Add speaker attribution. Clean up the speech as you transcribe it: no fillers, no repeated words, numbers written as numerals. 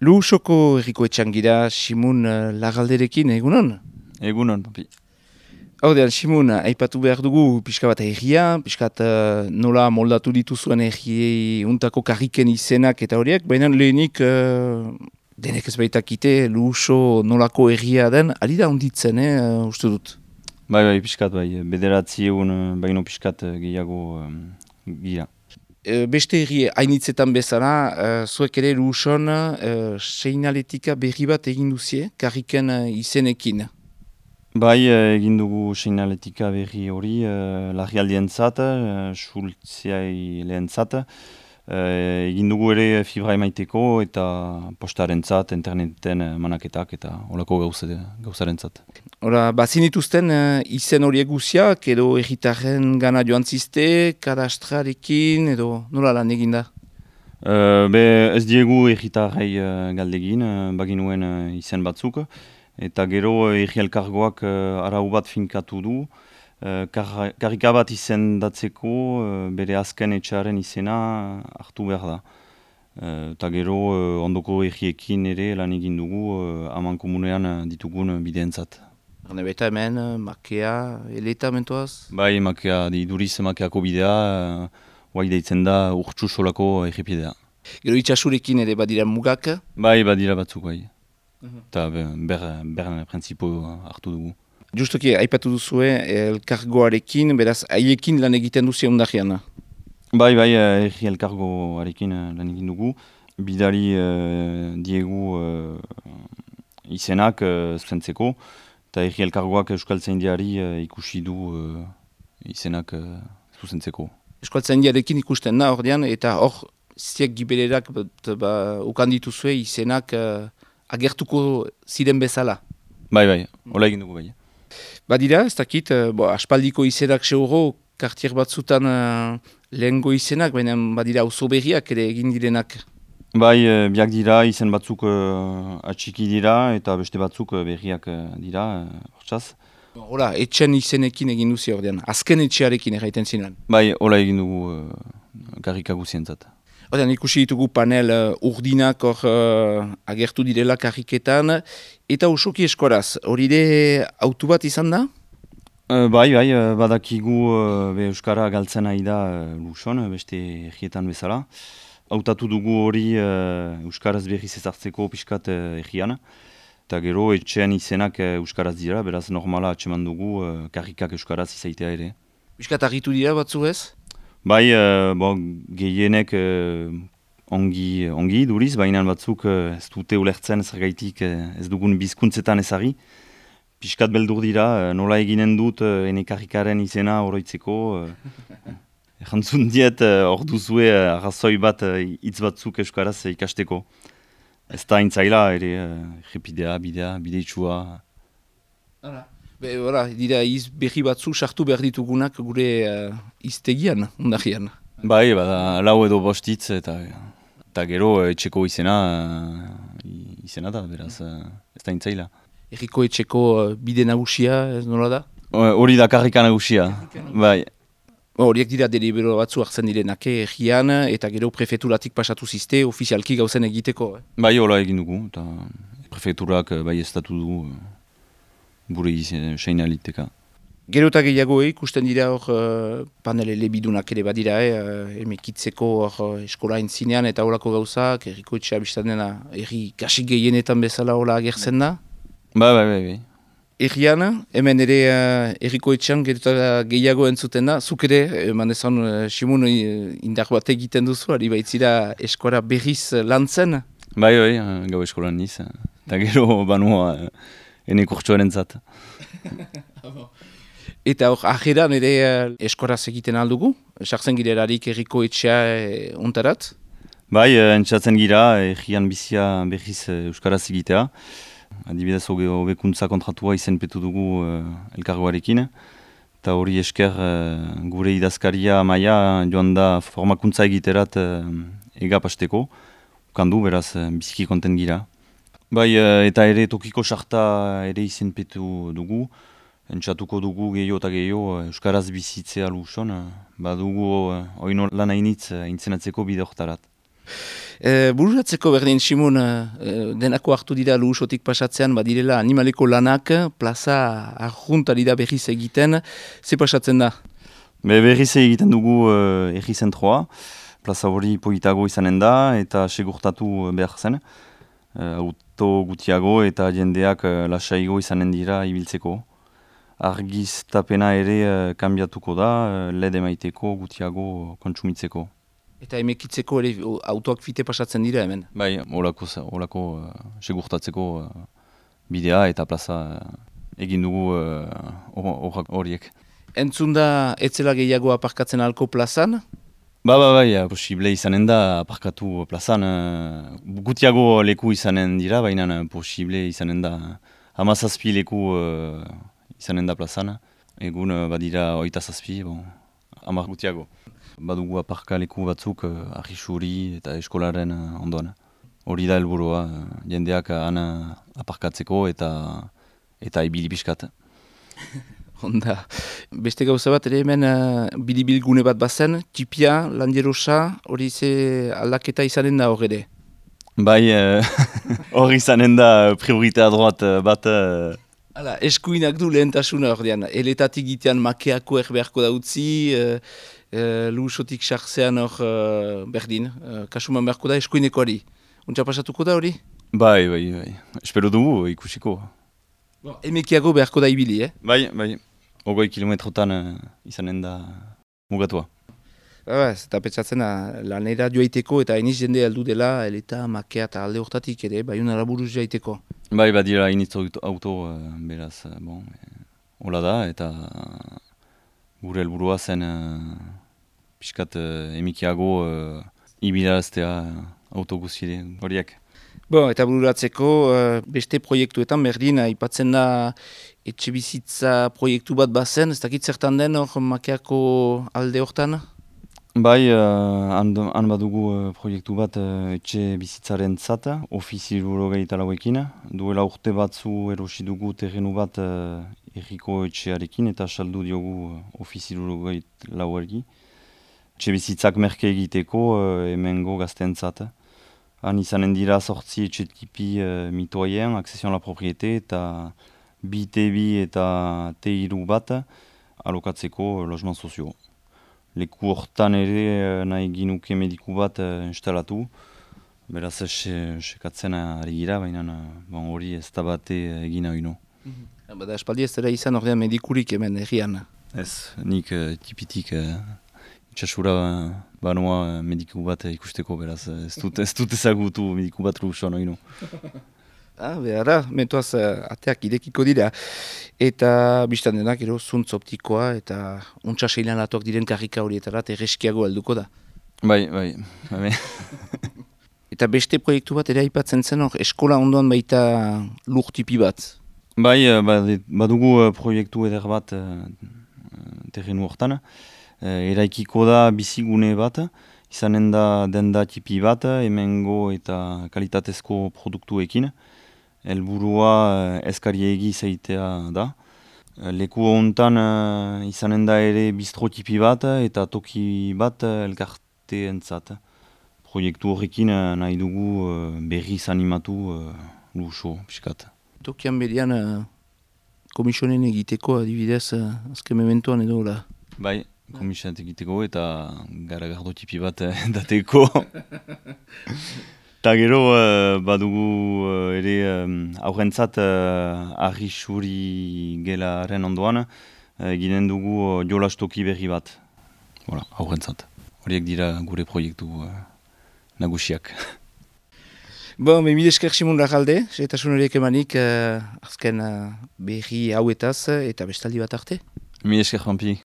Speaker 1: Luusoko herriko etxangira Simun Lagalderekin, egunon?
Speaker 2: Egunon, papi.
Speaker 1: Hordean, Simun, aipatu behar dugu pixka bat herria, pixkat nola moldatu dituzuen herriei untako karriken izenak eta horiek, baina lehenik denek ez baitakite Luuso nolako herria den, ari da onditzen, uste dut.
Speaker 2: Bai, pixkat, bederatzi egun baino pixkat gehiago gira.
Speaker 1: Beste herri hainitzetan bezala, zuek ere Luuson seinaletika berri bat egin duzie, karriken izenekin.
Speaker 2: Bai, egin dugu seinaletika berri hori, larrialdientzat, Schultziai lehentzat, egin dugu ere fibra emaiteko eta postarentzat, interneten manaketak eta holako gauzarentzat.
Speaker 1: Hora, bazin dituzten izen horiek guziak edo erritarren gana joan ziste, kadastrarekin edo nola lan egin da?
Speaker 2: Ez diegu erritarrei galdegin, baginuen izen batzuk. Eta gero herri elkargoak arau bat finkatu du, karrika bat izendatzeko bere azken etxearen izena hartu behar da. Eta gero ondoko herriekin ere lan egin dugu aman komunean ditugun bideentzat.
Speaker 1: Eta hemen, makea, eleta mentoaz?
Speaker 2: Bai, makea, iduriz makeako bidea, guai deitzen da urtsu solako errepidea.
Speaker 1: Gero itxasurekin ere badira mugak?
Speaker 2: Bai, badira batzuk bai. Eta beren prentzipo hartu dugu.
Speaker 1: Justoki, aipatu duzue elkargoarekin, beraz, haiekin lan egiten duzia ondajean?
Speaker 2: Bai, herri elkargoarekin lan egin dugu. Bidali diegu izenak zuzentzeko, eta herri elkargoak Euskaltzaindiari ikusi du izenak zuzentzeko.
Speaker 1: Euskaltzaindiarekin ikusten da, ordean, eta hor, ziek gibelerak ukan dituzue izenak agertuko ziren bezala.
Speaker 2: Bai, hola egin dugu bai.
Speaker 1: Badira, ez dakit, aspaldiko izenak seuro, kartier batzutan lehengo izenak, baina badira oso berriak ere egin direnak.
Speaker 2: Bai, biak dira, izen batzuk atxiki dira, eta beste batzuk berriak dira, hortzaz.
Speaker 1: Hola, etxen izenekin egin duzi ordean, azken etxearekin erraiten zinan.
Speaker 2: Bai, hola egin dugu karrika guzientzat.
Speaker 1: Ordean, ikusi ditugu panel urdinak agertu direla karriketan, eta osoki eskoraz, hori de autu bat izan da?
Speaker 2: Bai, badakigu Euskara galtzen ari da Luuson, beste herrietan bezala. Hautatu dugu hori Euskaraz berriz ezartzeko pixkat herrian. Eta gero etxean izenak Euskaraz dira, beraz normala atseman dugu karrikak Euskaraz izaitea ere.
Speaker 1: Pixkat argitu dira batzu ez?
Speaker 2: Bai, gehienek ongi duriz, baina batzuk ez dute ulertzen zergaitik ez dugun bizkuntzetan ezari. Piskat beldur dira, nola eginen dut ene karrikaren izena oroitzeko. Jantzun diet hor duzue arrazoi bat hitz batzuk euskaraz ikasteko. Ez da intzaila ere errepidea, bide itxua.
Speaker 1: Dira berri batzu sartu behar ditugunak gure iztegian, ondajean.
Speaker 2: Bai, lau edo bostitz eta gero etxeko izena da, beraz, ez da intzaila.
Speaker 1: Herriko etxeko bide nagusia, ez nola da?
Speaker 2: Hori da karrika nagusia, bai.
Speaker 1: Horiek dira delibero batzu hartzen direnak herrian eta gero prefeturatik pasatu ziste ofizialki gauzen egiteko.
Speaker 2: Bai, hola egin dugu, eta prefeturak bai estatu dugu. Gure seinaliteka.
Speaker 1: Gero eta gehiago ikusten dira hor panel elebidunak ere badira, emekitzeko eskola entzinean eta horako gauzak, herriko etxea biztan dena, herri kasik gehienetan bezala hola agertzen da?
Speaker 2: Bai.
Speaker 1: Herrian, hemen ere herriko etxean gero eta gehiago entzuten da, zuk ere, eman ezan Simun indar bat egiten duzu, ari baitzira eskola berriz lantzen?
Speaker 2: Bai, gau eskolan niz, eta gero banua ene kurtsoaren zat.
Speaker 1: Eta hor, ajeran ere eskoraz egiten aldugu? Sartzen girelarik herriko etxea ontarat?
Speaker 2: Bai, entzatzen gira, herrian bizia berriz euskaraz egitea. Adibidez, hobekuntza kontratua izenpetu dugu elkargoarekin. Eta hori esker gure idazkaria maia joan da formakuntza egiterat egapasteko. Ukandu, beraz, biziki konten gira. Bai, eta ere tokiko sarta ere izenpetu dugu. Entzatuko dugu gehiago eta gehiago Euskaraz bizitzea Luuson. Badugu oino lan hainitz intzenatzeko bide horretarat.
Speaker 1: Bururatzeko berdin, Simon, denako hartu dira luhusotik pasatzean, badirela animaleko lanak, plaza arjuntari da berriz egiten, ze pasatzen da?
Speaker 2: Berriz egiten dugu erri zentroa, plaza hori politago izanen da eta segurtatu behar zen. Auto gutiago eta jendeak lasaigo izanen dira ibiltzeko. Argiztapena ere kanbiatuko da, LED emaiteko gutiago kontsumitzeko.
Speaker 1: Eta emekitzeko ere autoak fite pasatzen dira hemen?
Speaker 2: Bai, holako segurtatzeko bidea eta plaza egin dugu horiek.
Speaker 1: Entzun da, etzela gehiago aparkatzen alko plazan?
Speaker 2: Bai, posible izanen da aparkatu plazan. Gutiago leku izanen dira, baina posible izanen da 17 leku izanen da plazan. Egun badira 27, 10 gutiago. Badugu aparka leku batzuk arrisuri eta eskolaren ondoan. Hori da helburua, jendeak han aparkatzeko eta ibili pixkat.
Speaker 1: Onda, beste gauza bat ere hemen bilibil gune bat bazen, tipia, landierosa, hori ze aldaketa izanen da hor ere?
Speaker 2: Bai, hori izanen da prioritea droat bat.
Speaker 1: Hala, eskuinak du lehentasuna hor dian, eletatik gitean makeako erbeharko da utzi, luhusotik sartzean hor berdin, kasuman beharko da eskuinekoari. Untsa pasatuko da hori?
Speaker 2: Bai, espero dugu ikusiko.
Speaker 1: Emekiago beharko da ibili,
Speaker 2: Bai. 20 kilometrotan izanen da mugatua.
Speaker 1: Eta petsatzen lanera joaiteko eta iniz jende aldu dela, eleta, makea eta alde hortatik ere, baiunara buruz joaiteko.
Speaker 2: Bai, badira iniz auto, beraz, hola da, eta gure helburua zen pixkat emikiago ibilaraztea auto guztire horiek.
Speaker 1: Eta bururatzeko beste proiektuetan berdin, aipatzen da etxe bizitza proiektu bat bazen, ez dakit zertan den hor makeako alde hortan?
Speaker 2: Bai, han badugu proiektu bat etxe bizitzaren zata, ofiziluro gehitalagoekin. Duela urte batzu erosi dugu terrenu bat erriko etxearekin eta saldu diogu ofiziluro gehitalagoergi. Etxe bizitzak merke egiteko hemengo gaztentzat. Han izanen dira sortzi etxe tipi mitoyen, accession a la propriété eta B2B eta T2 bat alokatzeko logement sozio. Leku hortan ere nahi ginuke mediku bat instalatu. Beraz sekatzen ari gira, baina hori ez da bate egin nahi no.
Speaker 1: Bada espaldi ez dara izan ordean medikurik hemen errian?
Speaker 2: Ez, nik tipitik itxasura banoa mediku bat ikusteko, beraz ez dut ezagutu mediku bat lusoan nahi no.
Speaker 1: Behara, mentuaz ateak idekiko dira. Eta biztan denak, zuntz optikoa eta untsa seilan atuak diren karrika horietarat erreskiago helduko da.
Speaker 2: Bai.
Speaker 1: Eta beste proiektu bat ere aipatzen zen hor, eskola ondoan baita lur tipi bat.
Speaker 2: Bai, badugu proiektu eder bat terrenu hortan. Eraikiko da bizigune bat, izanen da denda tipi bat, hemengo eta kalitatezko produktuekin. Helburua eskariegi zeitea da. Leku hontan izanen da ere bistro tipi bat eta toki bat elkarteentzat. Proiektu horrekin nahi dugu berriz animatu luxo, piskat.
Speaker 1: Tokian berian komisionen egiteko adibidez azken mementoan edo la?
Speaker 2: Bai, komisionen egiteko eta garagardo tipi bat dateko. Eta gero badugu ere aurrentzat arrisuri gelaren ondoan ginen dugu jolastoki berri bat. Aurrentzat. Horiek dira gure proiektu nagusiak.
Speaker 1: Mil esker Simon Larralde, setasun horiek emanik azken berri hauetaz eta bestaldi bat arte.
Speaker 2: Mil esker Juanpi.